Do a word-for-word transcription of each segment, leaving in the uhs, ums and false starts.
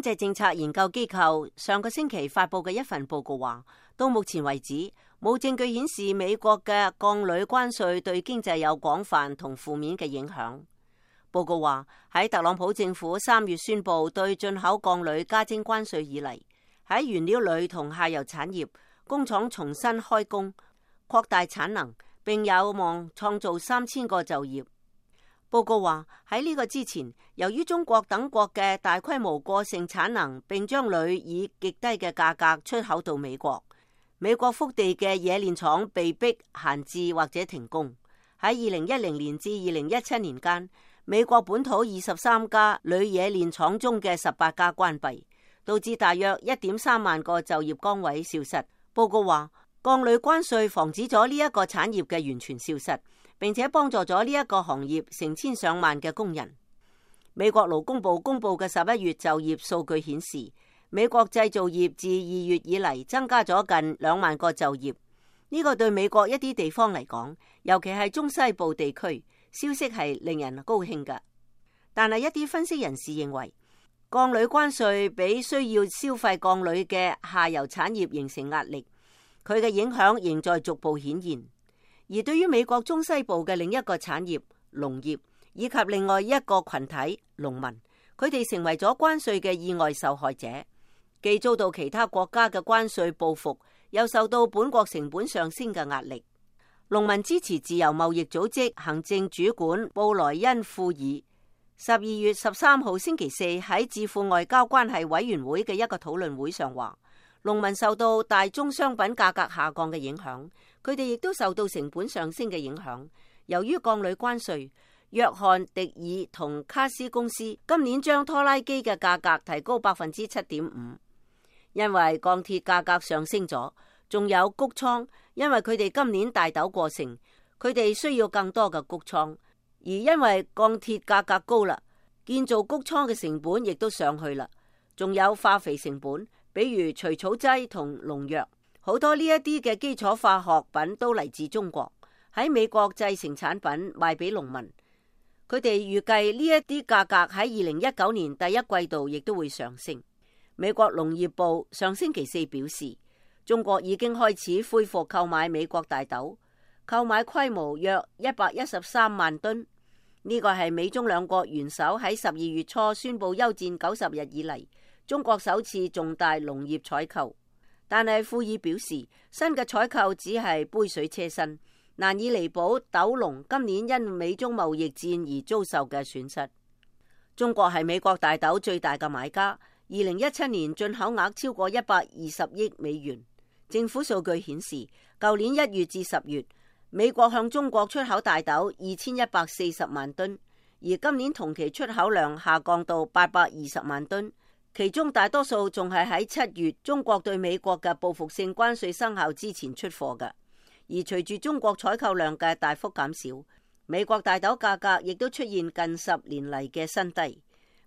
經濟政策研究機構上個星期發佈嘅一份報告話，到目前為止冇證據顯示美國嘅鋼鋁關稅對經濟有廣泛同負面嘅影響。報告話，喺特朗普政府三月宣布對進口鋼鋁加徵關稅以嚟，喺原料鋁同下游產業工廠重新開工，擴大產能，並有望創造三千個就業。報告話，喺呢個之前，由於中國等國嘅大規模過剩產能，並將鋁以極低嘅價格出口到美國，美國腹地嘅冶煉廠被迫閒置或者停工。喺二零一零年至二零一七年間，美國本土二十三家鋁冶煉廠中嘅十八家關閉，導致大約一點三萬個就業崗位消失。報告話，鋼鋁關稅防止咗呢一個產業嘅完全消失，並且幫助咗呢一個行業成千上萬嘅工人。美國勞工部公布嘅十一月就業數據顯示，美國製造業自二月以嚟增加咗近兩萬個就業。呢個對美國一啲地方嚟講，尤其係中西部地區，消息係令人高興嘅。但係一啲分析人士認為，鋼鋁關稅俾需要消費鋼鋁嘅下游產業形成壓力，佢嘅影響仍在逐步顯現。而對於美國中西部嘅另一個產業農業，以及另外一個群體農民，佢哋成為咗關稅嘅意外受害者，既遭到其他國家嘅關稅報復，又受到本國成本上升嘅壓力。農民支持自由貿易組織行政主管布萊恩庫爾十二月十三號星期四喺智庫外交關係委員會嘅一個討論會上話，農民受到大宗商品價格下降嘅影響，佢哋亦都受到成本上升嘅影響。由於鋼鋁關稅，約翰迪爾同卡斯公司今年將拖拉機嘅價格提高百分之七點五，因為鋼鐵價格上升咗，仲有穀倉，因為佢哋今年大豆過剩，佢哋需要更多嘅穀倉，而因為鋼鐵價格高啦，建造穀倉嘅成本亦都上去啦，仲有化肥成本，比如除草劑同農藥，好多呢一啲嘅基礎化學品都嚟自中國，喺美國製成產品賣俾農民。佢哋預計呢一啲價格喺二零一九年第一季度亦都會上升。美國農業部上星期四表示，中國已經開始恢復購買美國大豆，購買規模約一百一十三萬噸。呢個係美中兩國元首喺十二月初宣布休戰九十日以嚟，中國首次重大農業採購。但係庫爾表示，新嘅採購只係杯水車薪，難以彌補豆農今年因美中貿易戰而遭受嘅損失。中國係美國大豆最大嘅買家，二零一七年進口額超過一百二十億美元。政府數據顯示，舊年一月至十月，美國向中國出口大豆二千一百四十萬噸，而今年同期出口量下降到八百二十萬噸，其中大多數仲係喺七月中國對美國嘅報復性關稅生效之前出貨嘅。而隨住中國採購量嘅大幅減少，美國大豆價格亦都出現近十年嚟嘅新低。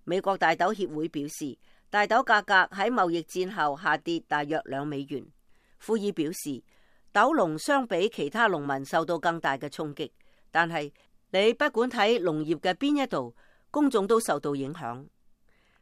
美國大豆協會表示，大豆價格喺貿易戰後下跌大約兩美元。庫爾表示，豆農相比其他農民受到更大嘅衝擊，但係你不管睇農業嘅邊一度，公眾都受到影響。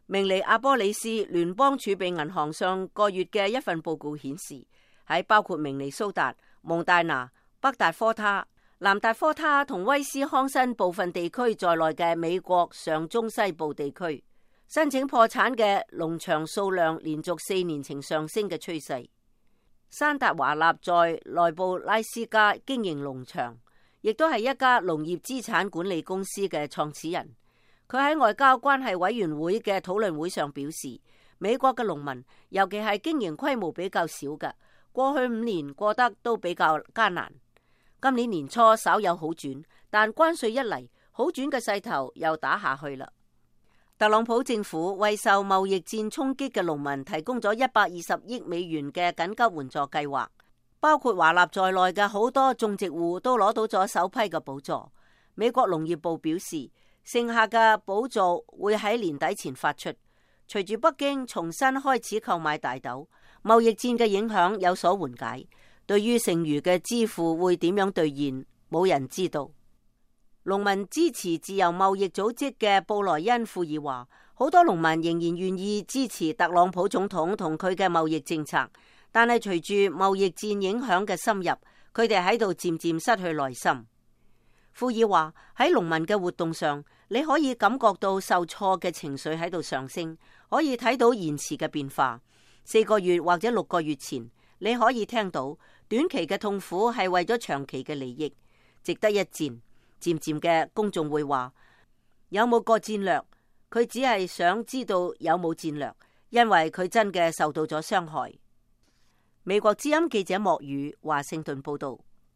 明尼阿波里斯聯邦儲備銀行上個月嘅一份報告顯示，喺包括明尼蘇達、蒙大拿、北達科他、南達科他同威斯康辛部分地區在內嘅美國上中西部地區，申請破產嘅農場數量連續四年呈上升嘅趨勢。山達華納在內布拉斯加經營農場，亦都係一家農業資產管理公司嘅創始人。佢喺外交關係委員會嘅討論會上表示，美國嘅農民，尤其係經營規模比較少嘅，過去五年過得都比較艱難。今年年初稍有好轉，但關稅一嚟，好轉嘅勢頭又打下去啦。特朗普政府為受貿易戰衝擊嘅農民提供咗一百二十億美元嘅緊急援助計劃，包括華納在內嘅好多種植戶都攞到咗首批嘅補助。美國農業部表示，剩下嘅補助會喺年底前發出。隨住北京重新開始購買大豆，貿易戰嘅影響有所緩解。對於剩餘嘅支付會點樣兌現，冇人知道。農民支持自由貿易組織嘅布萊恩庫爾話，好多農民仍然願意支持特朗普總統同佢嘅貿易政策，但係隨住貿易戰影響嘅深入，佢哋喺度漸漸失去耐心。庫爾話喺農民嘅活動上，你可以感覺到受挫嘅情緒喺度上升，可以睇到延遲嘅變化。四個月或者六個月前，你可以聽到短期嘅痛苦係為咗長期嘅利益，值得一戰。漸漸嘅公眾會話有冇個戰略？佢只係想知道有冇戰略，因為佢真嘅受到咗傷害。美國之音記者莫宇華盛頓報道。